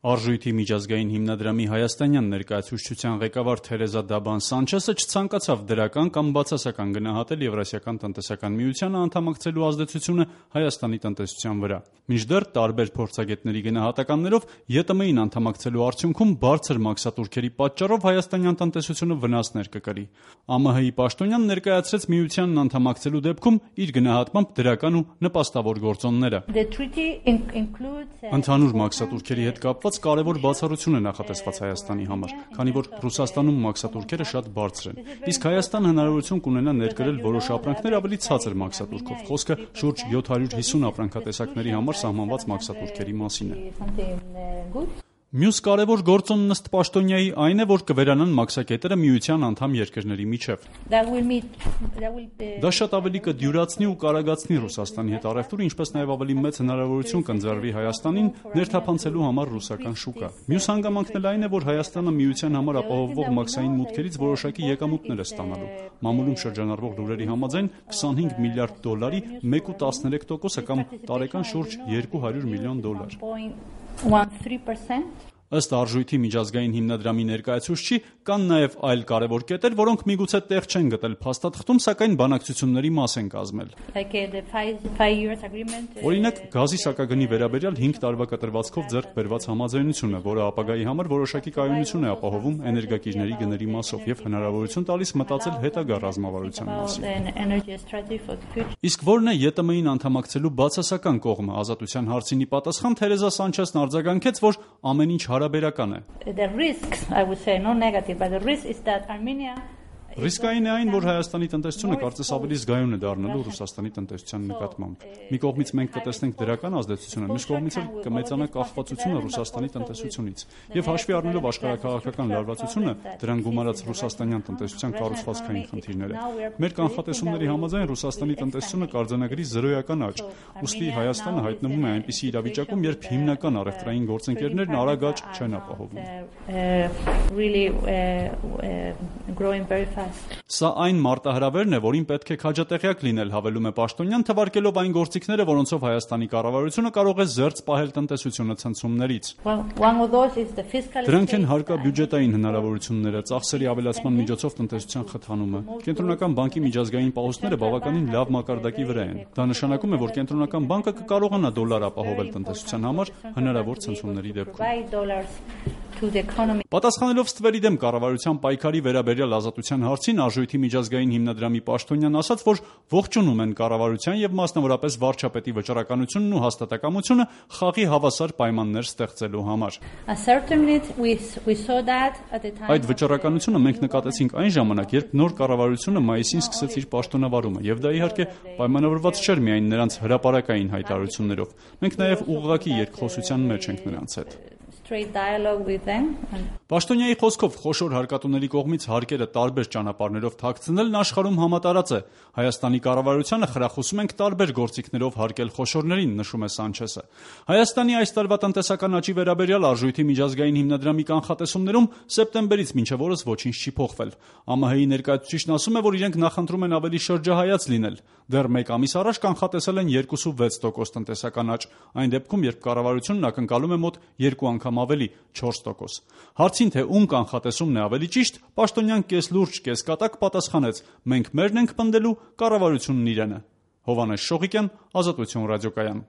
Արժույթի միջազգային հիմնադրամի հայաստանյան ներկայացուցչության ղեկավար Թերեզա Դաբան Սանչեսը չցանկացավ դրական կամ բացասական գնահատել Եվրասիական տնտեսական միությանը անդամակցելու ազդեցությունը Հայաստանի տնտեսության վրա։ Մինչդեռ տարբեր փորձագետների գնահատականներով ԵՏՄ-ին անդամակցելու արդյունքում բարձր մաքսատուրքերի պատճառով հայաստանյան տնտեսությունը վնասներ կկրի։ ԱՄՀ-ի պաշտոնյան ներկայացրեց միությանն անդամակցելու դեպքում իր գնահատմամբ դրական ու նպաստավոր գործոնները։ Ընդհանուր մաքսատուրքերի հետ կապված կարևոր բացառություն է նախատեսված Հայաստանի համար, քանի որ Ռուսաստանում մաքսատուրքերը շատ բարձր են, իսկ Հայաստանը հնարավորություն կունենա ներկրել որոշ ապրանքներ ավելի ցածր մաքսատուրքով, խոսքը շուրջ 750 ապրանքատեսակների համար սահմանված մաքսատուրքերի մասին է։ Մյուս կարևոր գործոնն ըստ պաշտոնյայի այն է, որ կվերանան մաքսակետերը միության անդամ երկրների միջև։ Դա շատ ավելի կդյուրացնի ու կարագացնի Ռուսաստանի հետ առևտուրը, ինչպես նաև ավելի մեծ հնարավորություն կընձեռվի Հայաստանին ներթափանցելու համար ռուսական շուկա։ Մյուս հանգամանքն էլ այն է, որ Հայաստանը միության համար ապահովվող մաքսային մուտքերից որոշակի եկամուտներ է ստանալու։ Մամուլում շրջանառվող լուրերի համաձայն 25 միլիարդ դոլարի 1.13%-ը կամ տարեկան շուրջ $200 միլիոն։ Ըստ արժույթի միջազգային հիմնադրամի ներկայացուցչի կան նաև այլ կարևոր կետեր, որոնք միգուցե տեղ չեն գտել փաստաթղթում, սակայն բանակցությունների մաս են կազմել։ Օրինակ, գազի սակագնի վերաբերյալ 5 տարվա կտրվածքով ձեռք բերված համաձայնությունը, որը ապագայի համար որոշակի կայունություն է ապահովում էներգակիրների գների մասով եւ հնարավորություն տալիս մտածել հետագա ռազմավարության մասին։ Իսկ ո՞րն է ԵՏՄ-ին անդամակցելու բացասական կողմը? Ազատության հարցինի պատասխան Թերեզա Սանչեսն արձագանքեց, որ ամեն ինչ հարաբերական է։ Ռիսկային է այն, որ Հայաստանի տնտեսությունը կարծես ավելի զգայուն է դառնալու Ռուսաստանի տնտեսության նկատմամբ։ Մի կողմից մենք կտեսնենք դրական ազդեցությունը, մյուս կողմից էլ կմեծանա կախվածությունը Ռուսաստանի տնտեսությունից։ Եվ հաշվի առնելով աշխարհաքաղաքական լարվածությունը, դրան գումարած ռուսաստանյան տնտեսության կառուցվածքային խնդիրները, մեր կանխատեսումների համաձայն Ռուսաստանի տնտեսությունը կարձանագրի զրոյական աճ։ Ուստի Հայաստանը հայտնվում է այնպիսի իրավիճակում, երբ հիմնական առևտրային գործընկերներն արագ աճ չեն ապահովում։ Սա այն մարտահրավերն է, որին պետք է քաջատեղյակ լինել, հավելում է պաշտոնյան, թվարկելով այն գործիքները, որոնցով Հայաստանի կառավարությունը կարող է զերծ պահել տնտեսությունը ցնցումներից։ Դրանք են հարկաբյուջետային հնարավորությունները, ծախսերի ավելացման միջոցով տնտեսության խթանումը։ Կենտրոնական բանկի միջազգային պահոստները բավականին լավ մակարդակի վրա են։ Դա նշանակում է, որ Կենտրոնական բանկը կկարողանա դոլար ապահովել տնտեսության համար հնարավոր ցնցումների դեպքում։ Պատասխանելով ստվերի դեմ կառավարության պայքարի վերաբերյալ ազատության հարցին, Արժույթի միջազգային հիմնադրամի պաշտոնյան ասաց, որ ողջունում են կառավարության եւ մասնավորապես վարչապետի վճռականությունն ու հաստատակամությունը խաղի հավասար պայմաններ ստեղծելու համար։ Այդ վճռականությունը մենք նկատեցինք այն ժամանակ, երբ նոր կառավարությունը մայիսին սկսեց իր պաշտոնավարումը, եւ դա իհարկե պայմանավորված չէր միայն նրանց հրապարակային հայտարարություններով։ Մենք նաեւ ուղղակի երկխոսության մեջ ենք նրանց հետ։ Պաշտոնյայի խոսքով խոշոր հարկատուների կողմից հարկերը տարբեր ճանապարհներով թաքցնելն աշխարհում համատարած է։ Հայաստանի կառավարությանը խրախուսում ենք տարբեր գործիքներով հարկել խոշորներին, նշում է Սանչեսը։ Հայաստանի այս տարվա տնտեսական աճի վերաբերյալ Արժույթի միջազգային հիմնադրամի կանխատեսումներում սեպտեմբերից մինչև օրս ոչինչ չի փոխվել։ ԱՄՀ-ի ներկայացուցիչն ասում է, որ իրենք նախընտրում են ավելի շրջահայաց լինել։ Դեռ մեկ ամիս առաջ կանխատեսել են 2.6% տնտեսական աճ, այն դեպքում, երբ կառավարությունն ակնկալում է մոտ 2 անգամ ավելի 4%։ Հարցին, թե ում կանխատեսումն է ավելի ճիշտ, պաշտոնյան կես լուրջ, կես կատակ պատասխանեց. մենք մերն ենք պնդելու, կառավարությունն իրենը։ Հովհաննես Շողիկյան, Ազատություն ռադիոկայան։